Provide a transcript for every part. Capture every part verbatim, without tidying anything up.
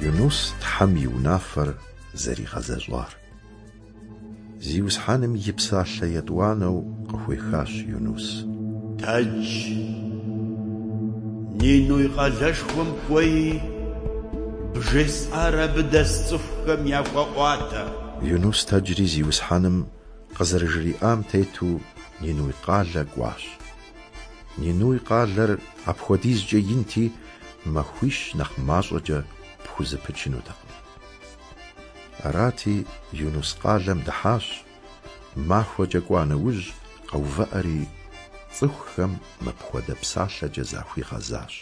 Юнус Тхьэм и унафэр зэригъэзэщӏар. Зиусхьэным и псалъэ етӏуанэу къыхуехащ Юнус. Тэдж, Нинуй къалэшхуэм кӏуэи, бжесӏар абы дэс цӏыхухэм яхуэӏуатэ. Юнус тэджри Зиусхьэным къызэрыжриӏам тету Нинуй къалэ кӏуащ. Нинуй къалэр апхуэдизкӏэ инти, махуищ нэхъ мащӏэкӏэ пхузэпычынутэкъым. Арати, Юнус къалэм дыхьащ, махуэкӏэ кӏуа нэужь къэувыӏэри, цӏыхухэм мыпхуэдэ псалъэкӏэ захуигъэзащ.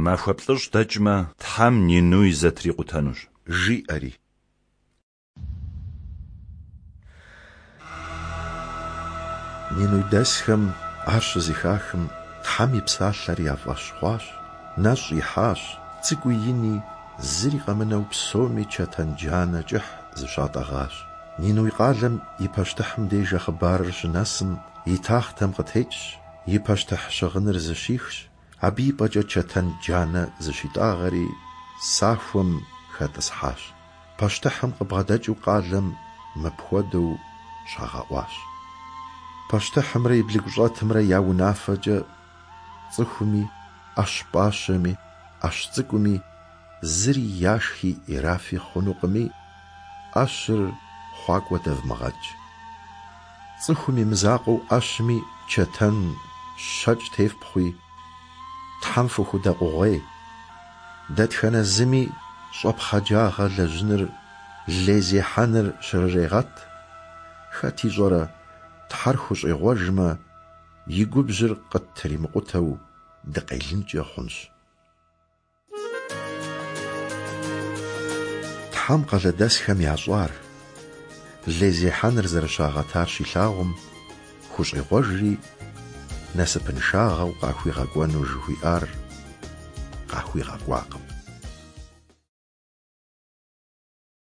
Махуэ плӏыщӏ дэкӏмэ, Тхьэм Нинуй зэтрикъутэнущ. Жиӏэри. Нинуйдэсхэм ар щызэхахым, Тхьэм и псалъэр я фӏэщ хъуащ, нэщӏ ихьащ, цӏыкӏуи ини, зыри къэмынэу псоми чэтэн джанэ кӏыхь зыщатӏэгъащ. Нинуй къалэм и пащтыхьым деж а хъыбарыр щынэсым, и тахътэм къытекӏщ, и пащтыхь щыгъыныр зыщихщ, абы и пӏэкӏэ чэтэн джанэ зыщитӏагъэри, сахуэм хэтӏысхьащ. Пащтыхьым къыбгъэдэкӏыу къалэм мыпхуэдэу щагъэӏуащ. Пащтыхьымрэ и блыгущӏэтымрэ я унафэкӏэ цӏыхуми, ӏэщ пӏащэми, ӏэщ цӏыкӏуми зыри яшхи ирафи хъунукъыми, ӏэщыр хъуакӏуэ дэвмыгъэкӏ. Цӏыхум и мызакъуэу ӏэщми чэтэн щэкӏ тефпхъуи, Тхьэм фыхудэкъугъуей. Дэтхэнэ зыми щӏэпхъаджагъэ лэжьыныр, лей зехьэныр щрырегъэт. Хэт ищӏэрэ, Тхьэр хущӏегъуэжмэ, и губжьыр къыттримыкъутэу дыкъелынкӏэ хъунщ. Тхьэм къалэдэсхэм ящӏар, лей зехьэныр зэрыщагъэтар щилъагъум, хущӏегъуэжри, насыпыншагъэу къахуигъэкӏуэну жыхуиӏар къахуигъэкӏуакъым.